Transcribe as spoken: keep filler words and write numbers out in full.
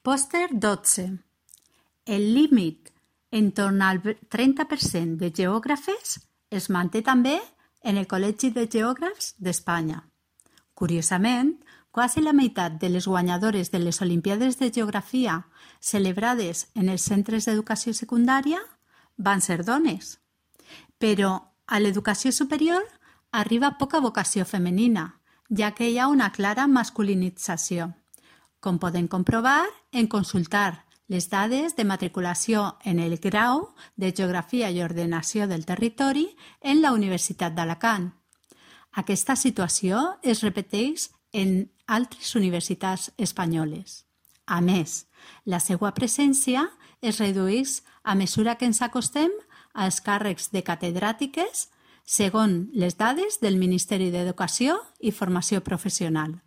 Pòster dotze. El límit entorn al trenta per cent de geògrafes es manté també en el Col·legi de Geògrafs d'Espanya. Curiosament, quasi la meitat de les guanyadores de les Olimpíades de Geografia celebrades en els centres d'educació secundària van ser dones. Però a l'educació superior arriba poca vocació femenina, ja que hi ha una clara masculinització, com poden comprovar en consultar les dades de matriculació en el grau de Geografia i Ordenació del Territori en la Universitat d'Alacant. Aquesta situació es repeteix en altres universitats espanyoles. A més, la seva presència es redueix a mesura que ens acostem als càrrecs de catedràtiques segons les dades del Ministeri d'Educació i Formació Professional.